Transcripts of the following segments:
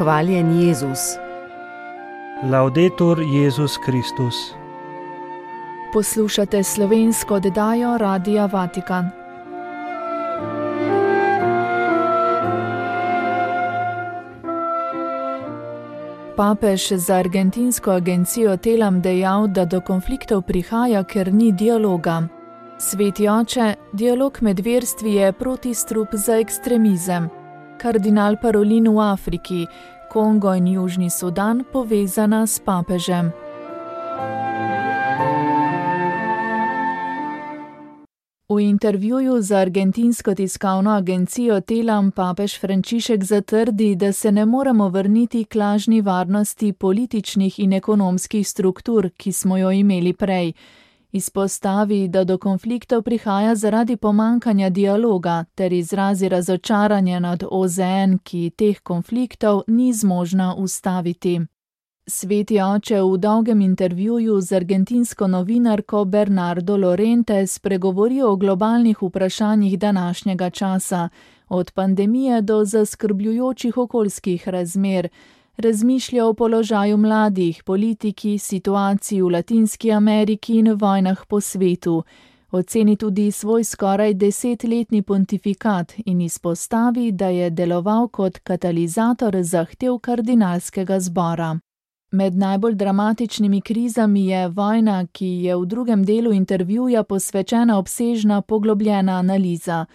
Hvaljen Jezus. Laudetur Jezus Kristus. Poslušate slovensko oddajo Radia Vatikan. Papež za argentinsko agencijo Telam dejal, da do konfliktov prihaja, ker ni dialoga. Sveti oče, dialog med verstvi je protistrup za ekstremizem. Kardinal Parolin v Afriki, Kongo in Južni Sudan povezana s papežem. V intervjuju za argentinsko tiskovno agencijo Telam papež Frančišek zatrdi, da se ne moremo vrniti k lažni varnosti političnih in ekonomskih struktur, ki smo jo imeli prej. Izpostavi, da do konfliktov prihaja zaradi pomankanja dialoga, ter izrazi razočaranje nad OZN, ki teh konfliktov ni zmožna ustaviti. Sveti oče v dolgem intervjuju z argentinsko novinarko Bernardo Lorente spregovori o globalnih vprašanjih današnjega časa, od pandemije do zaskrbljujočih okoljskih razmer. Razmišlja o položaju mladih, politiki, situaciji v Latinski Ameriki in vojnah po svetu. Oceni tudi svoj skoraj 10-letni pontifikat in izpostavi, da je deloval kot katalizator zahtev kardinalskega zbora. Med najbolj dramatičnimi krizami je vojna, ki je v drugem delu intervjuja posvečena obsežna poglobljena analiza.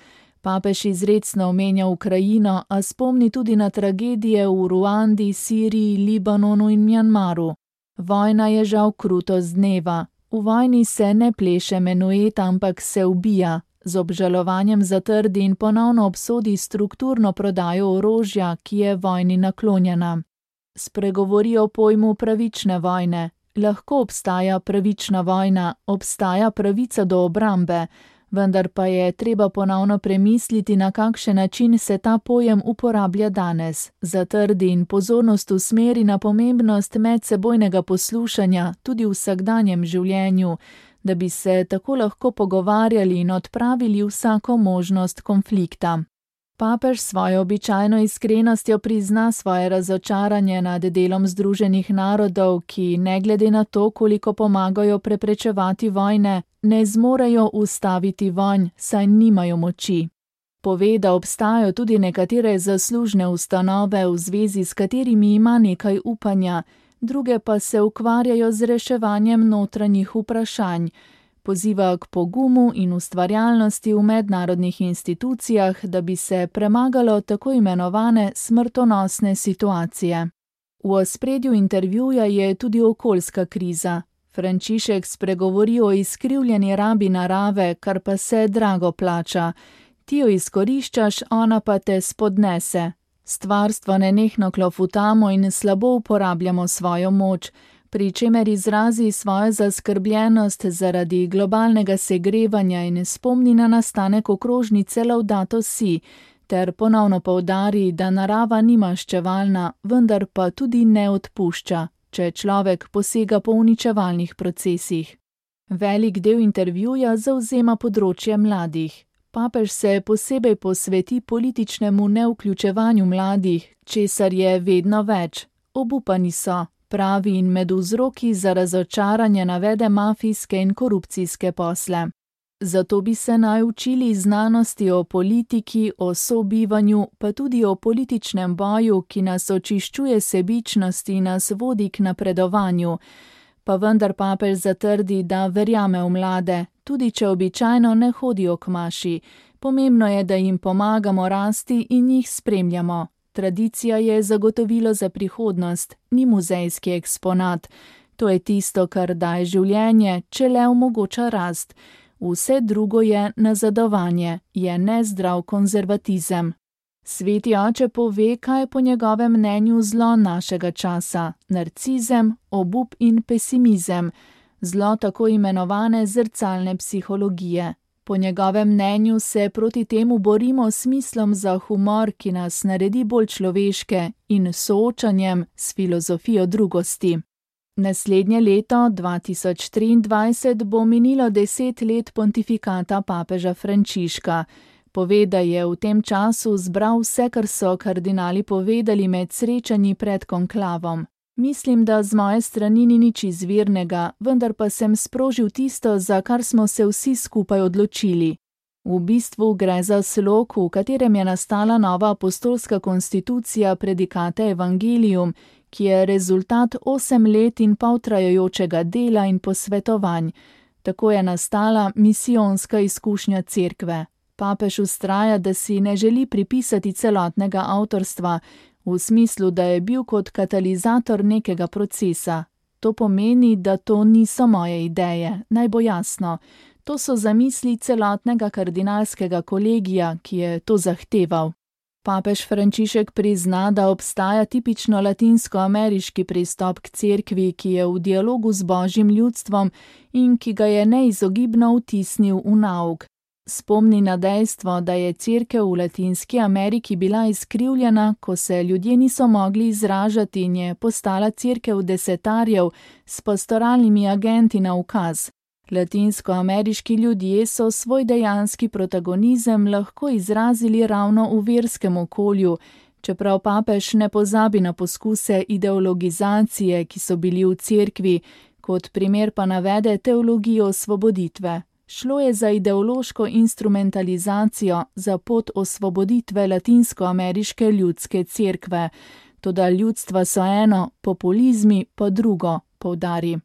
Papež izrecno omenja Ukrajino, a spomni tudi na tragedije v Ruandi, Siriji, Libanonu in Mjanmaru. Vojna je žal krutost dneva. V vojni se ne pleše menuet, ampak se ubija. Z obžalovanjem zatrdi in ponovno obsodi strukturno prodajo orožja, ki je vojni naklonjena. Spregovori o pojmu pravične vojne. Lahko obstaja pravična vojna, obstaja pravica do obrambe, vendar pa je treba ponovno premisliti, na kakšen način se ta pojem uporablja danes. Zatrdi in pozornost usmeri na pomembnost medsebojnega poslušanja tudi v vsakdanjem življenju, da bi se tako lahko pogovarjali in odpravili vsako možnost konflikta. Papež svojo običajno iskrenostjo prizna svoje razočaranje nad delom Združenih narodov, ki ne glede na to, koliko pomagajo preprečevati vojne, ne zmorejo ustaviti vojn, saj nimajo moči. Pove, da obstajajo tudi nekatere zaslužne ustanove, v zvezi s katerimi ima nekaj upanja, druge pa se ukvarjajo z reševanjem notranjih vprašanj. Poziva k pogumu in ustvarjalnosti v mednarodnih institucijah, da bi se premagalo tako imenovane smrtonosne situacije. V ospredju intervjuja je tudi okoljska kriza. Frančišek spregovori o izkrivljeni rabi narave, kar pa se drago plača. Ti jo izkoriščaš, ona pa te spodnese. Stvarstvo nenehno klofutamo in slabo uporabljamo svojo moč, pri čemer izrazi svojo zaskrbljenost zaradi globalnega segrevanja in spomni na nastanek okrožnice Laudato Si, ter ponovno poudari, da narava ni maščevalna, vendar pa tudi ne odpušča, če človek posega po uničevalnih procesih. Velik del intervjuja zavzema področje mladih. Papež se posebej posveti političnemu nevključevanju mladih, česar je vedno več. Obupani so, pravi, in med vzroki za razočaranje navede mafijske in korupcijske posle. Zato bi se naj učili znanosti o politiki, o sobivanju, pa tudi o političnem boju, ki nas očiščuje sebičnosti in nas vodi k napredovanju. Pa vendar papež zatrdi, da verjame v mlade, tudi če običajno ne hodijo k maši. Pomembno je, da jim pomagamo rasti in jih spremljamo. Tradicija je zagotovilo za prihodnost, ni muzejski eksponat. To je tisto, kar daje življenje, če le omogoča rast. Vse drugo je nazadovanje, je nezdrav konzervatizem. Sveti oče pove, kaj je po njegovem mnenju zlo našega časa: narcizem, obup in pesimizem, zlo tako imenovane zrcalne psihologije. Po njegovem mnenju se proti temu borimo s smislom za humor, ki nas naredi bolj človeške, in soočanjem s filozofijo drugosti. Naslednje leto, 2023, bo minilo 10 let pontifikata papeža Frančiška. Pove, da je v tem času zbral vse, kar so kardinali povedali med srečanji pred konklavom. Mislim, da z moje strani ni nič izvirnega, vendar pa sem sprožil tisto, za kar smo se vsi skupaj odločili. V bistvu gre za slog, v katerem je nastala nova apostolska konstitucija Predicate Evangelium, ki je rezultat 8 let in pol trajajočega dela in posvetovanj. Tako je nastala misijonska izkušnja cerkve. Papež vztraja, da si ne želi pripisati celotnega avtorstva, v smislu, da je bil kot katalizator nekega procesa. To pomeni, da to niso moje ideje, naj bo jasno. To so zamisli celotnega kardinalskega kolegija, ki je to zahteval. Papež Frančišek prizna, da obstaja tipično latinsko-ameriški pristop k cerkvi, ki je v dialogu z božjim ljudstvom in ki ga je neizogibno vtisnil v nauk. Spomni na dejstvo, da je cerkev v Latinski Ameriki bila izkrivljena, ko se ljudje niso mogli izražati in je postala cerkev desetarjev s pastoralnimi agenti na ukaz. Latinsko-ameriški ljudje so svoj dejanski protagonizem lahko izrazili ravno v verskem okolju, čeprav papež ne pozabi na poskuse ideologizacije, ki so bili v cerkvi, kot primer pa navede teologijo osvoboditve. Šlo je za ideološko instrumentalizacijo za pot osvoboditve latinsko-ameriške ljudske cerkve. Toda ljudstva so eno, populizmi pa drugo, poudari.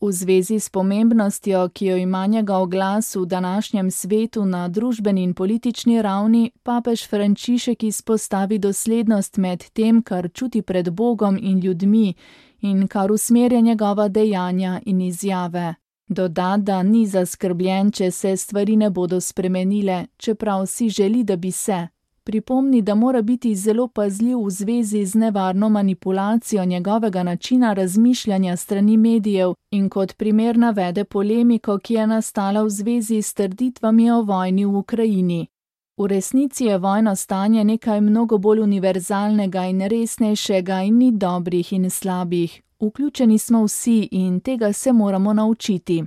V zvezi s pomembnostjo, ki jo ima njegov glas v današnjem svetu na družbeni in politični ravni, papež Frančišek izpostavi doslednost med tem, kar čuti pred Bogom in ljudmi in kar usmerja njegova dejanja in izjave. Doda, da ni zaskrbljen, če se stvari ne bodo spremenile, čeprav si želi, da bi se. Pripomni, da mora biti zelo pazljiv v zvezi z nevarno manipulacijo njegovega načina razmišljanja strani medijev in kot primer navede polemiko, ki je nastala v zvezi s trditvami o vojni v Ukrajini. V resnici je vojno stanje nekaj mnogo bolj univerzalnega in resnejšega in ni dobrih in slabih. Vključeni smo vsi in tega se moramo naučiti.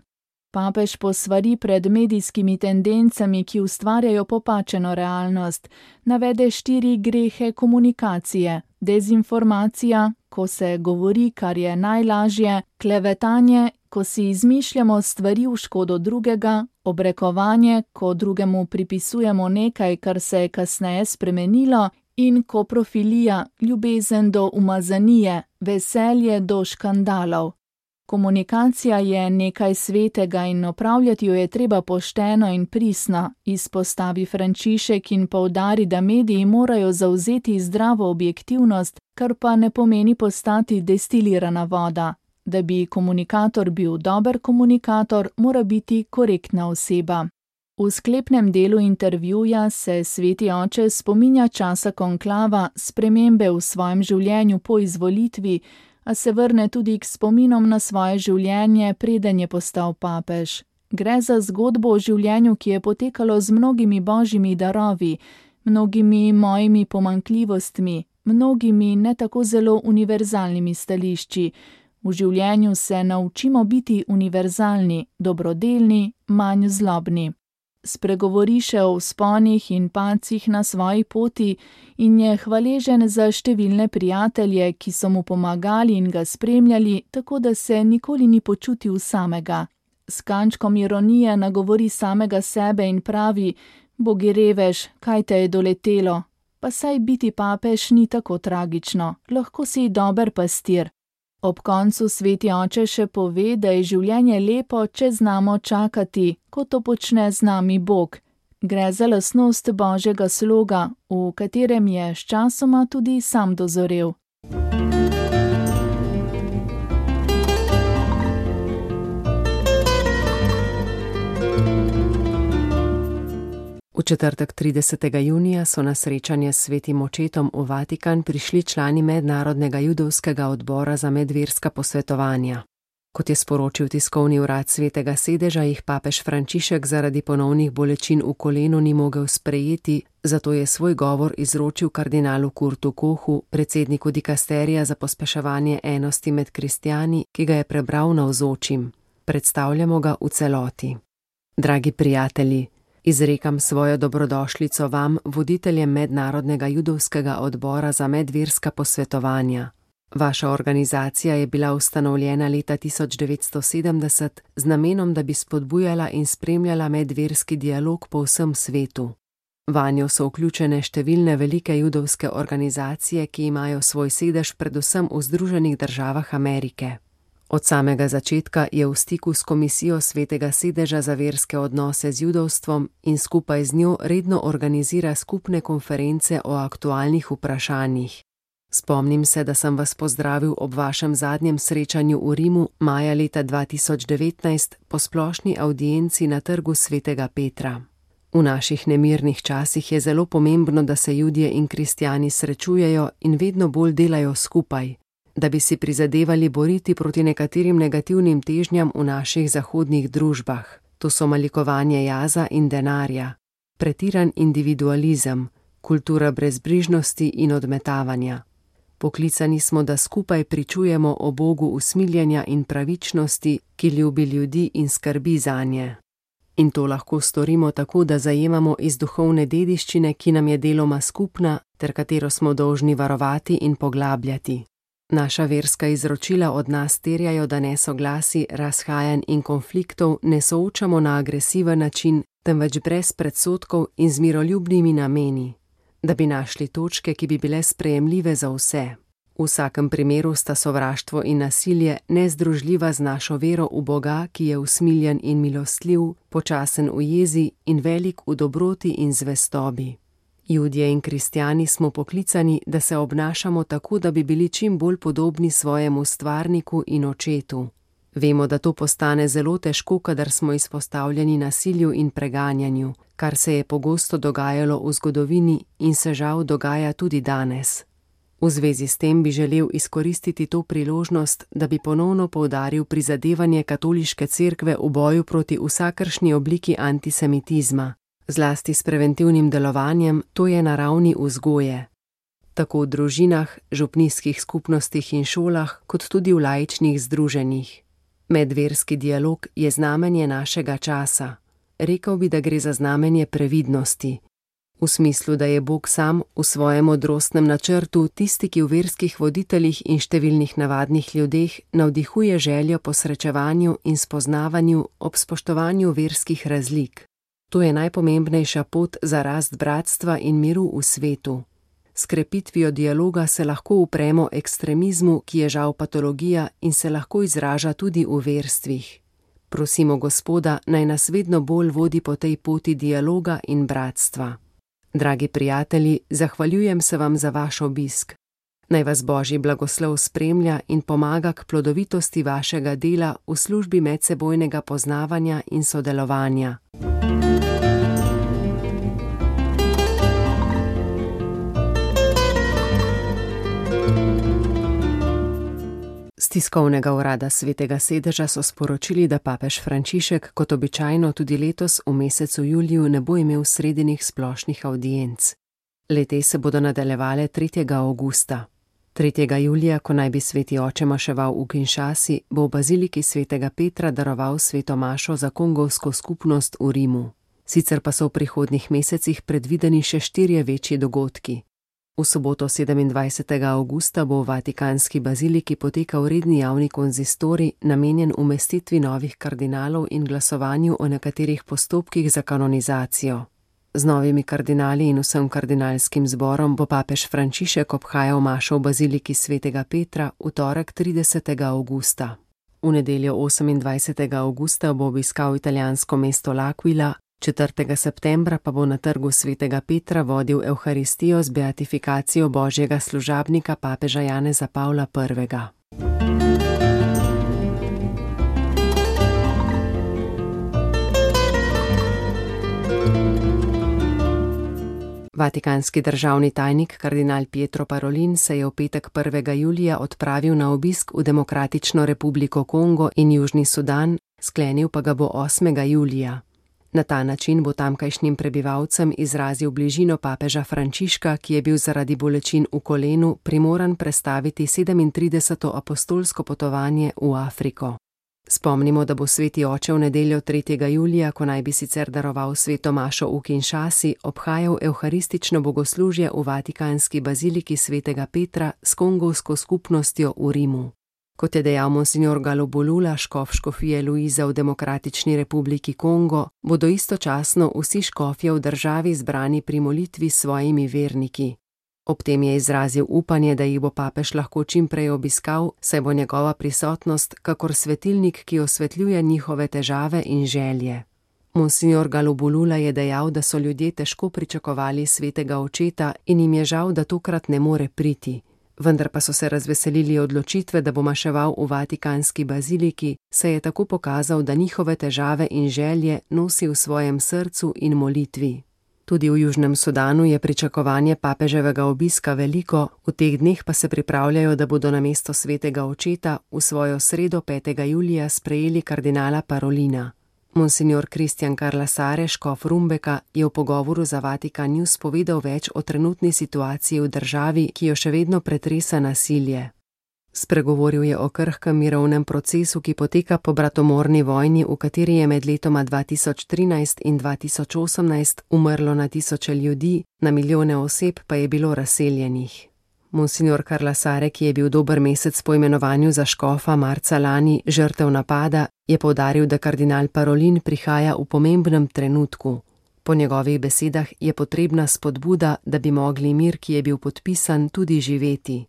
Papež posvari pred medijskimi tendencami, ki ustvarjajo popačeno realnost. Navede 4 grehe komunikacije: dezinformacija, ko se govori, kar je najlažje, klevetanje, ko si izmišljamo stvari v škodo drugega, obrekovanje, ko drugemu pripisujemo nekaj, kar se je kasneje spremenilo, in koprofilija, ljubezen do umazanije, veselje do škandalov. Komunikacija je nekaj svetega in opravljati jo je treba pošteno in pristno, izpostavi Frančišek in poudari, da mediji morajo zavzeti zdravo objektivnost, kar pa ne pomeni postati destilirana voda. Da bi komunikator bil dober komunikator, mora biti korektna oseba. V sklepnem delu intervjuja se sveti oče spominja časa konklava, spremembe v svojem življenju po izvolitvi, a se vrne tudi k spominom na svoje življenje, preden je postal papež. Gre za zgodbo o življenju, ki je potekalo z mnogimi božjimi darovi, mnogimi mojimi pomanjkljivostmi, mnogimi ne tako zelo univerzalnimi stališči. V življenju se naučimo biti univerzalni, dobrodelni, manj zlobni. Spregovori še o vzponih in padcih na svoji poti in je hvaležen za številne prijatelje, ki so mu pomagali in ga spremljali, tako da se nikoli ni počutil samega. S kančkom ironije nagovori samega sebe in pravi: Bogi revež, kaj te je doletelo? Pa saj biti papež ni tako tragično, lahko si dober pastir. Ob koncu sveti oče še pove, da je življenje lepo, če znamo čakati, ko to počne z nami Bog. Gre za lastnost božjega sloga, v katerem je sčasoma tudi sam dozorel. V četrtek 30. junija so na srečanje s svetim očetom v Vatikan prišli člani Mednarodnega judovskega odbora za medverska posvetovanja. Kot je sporočil tiskovni urad Svetega sedeža, jih papež Frančišek zaradi ponovnih bolečin v kolenu ni mogel sprejeti, zato je svoj govor izročil kardinalu Kurtu Kochu, predsedniku dikasterija za pospeševanje enosti med kristjani, ki ga je prebral navzočim. Predstavljamo ga v celoti. Dragi prijatelji, Izrekam svojo dobrodošlico vam, voditeljem Mednarodnega judovskega odbora za medverska posvetovanja. Vaša organizacija je bila ustanovljena leta 1970 z namenom, da bi spodbujala in spremljala medverski dialog po vsem svetu. Vanjo so vključene številne velike judovske organizacije, ki imajo svoj sedež predvsem v Združenih državah Amerike. Od samega začetka je v stiku s Komisijo Svetega sedeža za verske odnose z judovstvom in skupaj z njo redno organizira skupne konference o aktualnih vprašanjih. Spomnim se, da sem vas pozdravil ob vašem zadnjem srečanju v Rimu maja leta 2019 po splošni avdienci na trgu Svetega Petra. V naših nemirnih časih je zelo pomembno, da se Judje in kristjani srečujejo in vedno bolj delajo skupaj, da bi si prizadevali boriti proti nekaterim negativnim težnjam v naših zahodnih družbah. To so malikovanje jaza in denarja, pretiran individualizem, kultura brezbrižnosti in odmetavanja. Poklicani smo, da skupaj pričujemo o Bogu usmiljenja in pravičnosti, ki ljubi ljudi in skrbi zanje. In to lahko storimo tako, da zajemamo iz duhovne dediščine, ki nam je deloma skupna, ter katero smo dolžni varovati in poglabljati. Naša verska izročila od nas terjajo, da nesoglasi, razhajanj in konfliktov ne soočamo na agresiven način, temveč brez predsodkov in z miroljubnimi nameni, da bi našli točke, ki bi bile sprejemljive za vse. V vsakem primeru sta sovraštvo in nasilje nezdružljiva z našo vero v Boga, ki je usmiljen in milostljiv, počasen v jezi in velik v dobroti in zvestobi. Judje in kristjani smo poklicani, da se obnašamo tako, da bi bili čim bolj podobni svojemu stvarniku in očetu. Vemo, da to postane zelo težko, kadar smo izpostavljeni nasilju in preganjanju, kar se je pogosto dogajalo v zgodovini in se žal dogaja tudi danes. V zvezi s tem bi želel izkoristiti to priložnost, da bi ponovno poudaril prizadevanje katoliške cerkve v boju proti vsakršni obliki antisemitizma, zlasti s preventivnim delovanjem, to je na ravni vzgoje. Tako v družinah, župnijskih skupnostih in šolah, kot tudi v laičnih združenjih. Medverski dialog je znamenje našega časa. Rekel bi, da gre za znamenje previdnosti. V smislu, da je Bog sam v svojem modrostnem načrtu tisti, ki v verskih voditeljih in številnih navadnih ljudeh navdihuje željo po srečevanju in spoznavanju ob spoštovanju verskih razlik. To je najpomembnejša pot za rast bratstva in miru v svetu. S krepitvijo dialoga se lahko upremo ekstremizmu, ki je žal patologija in se lahko izraža tudi v verstvih. Prosimo Gospoda, naj nas vedno bolj vodi po tej poti dialoga in bratstva. Dragi prijatelji, zahvaljujem se vam za vaš obisk. Naj vas Božji blagoslov spremlja in pomaga k plodovitosti vašega dela v službi medsebojnega poznavanja in sodelovanja. Z tiskovnega urada Svetega sedeža so sporočili, da papež Frančišek kot običajno tudi letos v mesecu juliju ne bo imel sredinih splošnih avdienc. Le-te se bodo nadaljevale 3. avgusta. 3. julija, ko naj bi sveti oče maševal v Kinshasi, bo v baziliki Svetega Petra daroval sveto mašo za kongovsko skupnost v Rimu. Sicer pa so v prihodnjih mesecih predvideni še 4 večji dogodki. V soboto 27. avgusta bo v Vatikanski baziliki potekal redni javni konzistorij, namenjen umestitvi novih kardinalov in glasovanju o nekaterih postopkih za kanonizacijo. Z novimi kardinali in vsem kardinalskim zborom bo papež Frančišek obhajal mašo v baziliki Svetega Petra v torek 30. avgusta. V nedeljo 28. avgusta bo obiskal italijansko mesto L'Aquila, 4. septembra pa bo na trgu Svetega Petra vodil evharistijo z beatifikacijo božjega služabnika papeža Janeza Pavla I. Vatikanski državni tajnik kardinal Pietro Parolin se je v petek 1. julija odpravil na obisk v Demokratično republiko Kongo in Južni Sudan, sklenil pa ga bo 8. julija. Na ta način bo tamkajšnjim prebivalcem izrazil bližino papeža Frančiška, ki je bil zaradi bolečin v kolenu primoran prestaviti 37. apostolsko potovanje v Afriko. Spomnimo, da bo sveti oče v nedeljo 3. julija, ko naj bi sicer daroval sveto mašo v Kinshasi, obhajal evharistično bogoslužje v vatikanski baziliki svetega Petra s kongovsko skupnostjo v Rimu. Kot je dejal monsignor Galobulula, škof škofije Luiza v Demokratični republiki Kongo, bodo istočasno vsi škofje v državi zbrani pri molitvi s svojimi verniki. Ob tem je izrazil upanje, da jih bo papež lahko čim prej obiskal, saj bo njegova prisotnost kakor svetilnik, ki osvetljuje njihove težave in želje. Monsignor Galobulula je dejal, da so ljudje težko pričakovali svetega očeta in jim je žal, da tokrat ne more priti. Vendar pa so se razveselili odločitve, da bo maševal v vatikanski baziliki, saj je tako pokazal, da njihove težave in želje nosi v svojem srcu in molitvi. Tudi v Južnem Sudanu je pričakovanje papeževega obiska veliko, v teh dneh pa se pripravljajo, da bodo namesto svetega očeta v svojo sredo 5. julija sprejeli kardinala Parolina. Monsignor Christian Carlasare, škof Rumbeka, je v pogovoru za Vatikan News povedal več o trenutni situaciji v državi, ki jo še vedno pretresa nasilje. Spregovoril je o krhkem mirovnem procesu, ki poteka po bratomorni vojni, v kateri je med letoma 2013 in 2018 umrlo na tisoče ljudi, na milijone oseb pa je bilo razseljenih. Monsignor Carlasare, ki je bil dober mesec po imenovanju za škofa marca lani žrtev napada, je poudaril, da kardinal Parolin prihaja v pomembnem trenutku. Po njegovih besedah je potrebna spodbuda, da bi mogli mir, ki je bil podpisan, tudi živeti.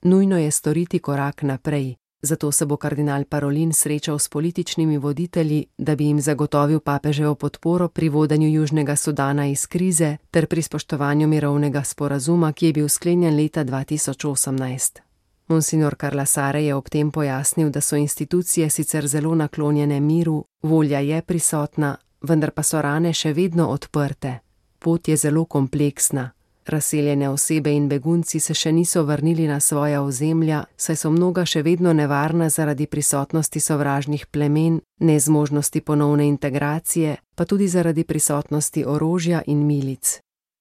Nujno je storiti korak naprej, zato se bo kardinal Parolin srečal s političnimi voditelji, da bi jim zagotovil papeževo podporo pri vodenju Južnega Sudana iz krize ter pri spoštovanju mirovnega sporazuma, ki je bil sklenjen leta 2018. Monsignor Carlasare je ob tem pojasnil, da so institucije sicer zelo naklonjene miru, volja je prisotna, vendar pa so rane še vedno odprte. Pot je zelo kompleksna. Razseljene osebe in begunci se še niso vrnili na svoja ozemlja, saj so mnoga še vedno nevarna zaradi prisotnosti sovražnih plemen, nezmožnosti ponovne integracije, pa tudi zaradi prisotnosti orožja in milic.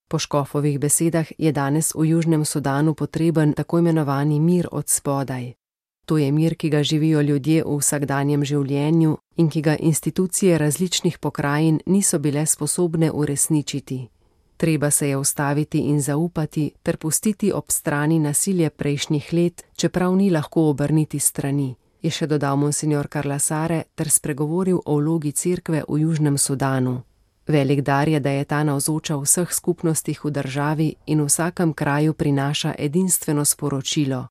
Po škofovih besedah je danes v Južnem Sudanu potreben tako imenovani mir od spodaj. To je mir, ki ga živijo ljudje v vsakdanjem življenju in ki ga institucije različnih pokrajin niso bile sposobne uresničiti. Treba se je ustaviti in zaupati ter pustiti ob strani nasilje prejšnjih let, čeprav ni lahko obrniti strani, je še dodal monsignor Carlasare ter spregovoril o vlogi cerkve v Južnem Sudanu. Velik dar je, da je ta navzoča v vseh skupnostih v državi in v vsakem kraju prinaša edinstveno sporočilo.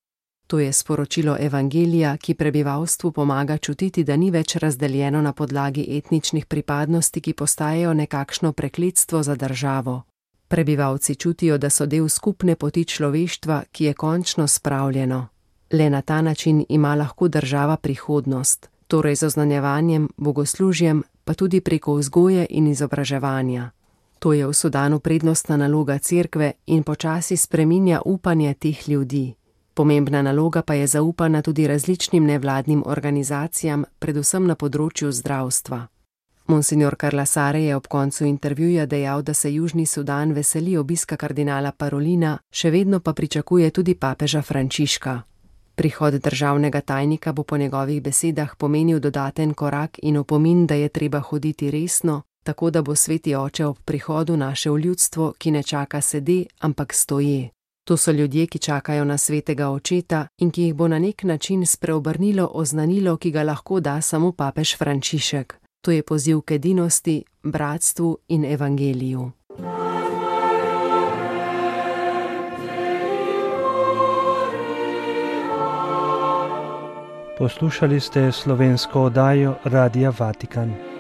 To je sporočilo evangelija, ki prebivalstvu pomaga čutiti, da ni več razdeljeno na podlagi etničnih pripadnosti, ki postajajo nekakšno prekletstvo za državo. Prebivalci čutijo, da so del skupne poti človeštva, ki je končno spravljeno. Le na ta način ima lahko država prihodnost, torej z oznanjevanjem, bogoslužjem, pa tudi preko vzgoje in izobraževanja. To je v Sudanu prednostna naloga cerkve in počasi spreminja upanje teh ljudi. Pomembna naloga pa je zaupana tudi različnim nevladnim organizacijam, predvsem na področju zdravstva. Monsignor Carlasare je ob koncu intervjuja dejal, da se Južni Sudan veseli obiska kardinala Parolina, še vedno pa pričakuje tudi papeža Frančiška. Prihod državnega tajnika bo po njegovih besedah pomenil dodaten korak in opomin, da je treba hoditi resno, tako da bo sveti oče ob prihodu našel ljudstvo, ki ne čaka sede, ampak stoje. To so ljudje, ki čakajo na svetega očeta in ki jih bo na nek način spreobrnilo oznanilo, ki ga lahko da samo papež Frančišek. To je poziv k edinosti, bratstvu in evangeliju. Poslušali ste slovensko oddajo Radia Vatikan.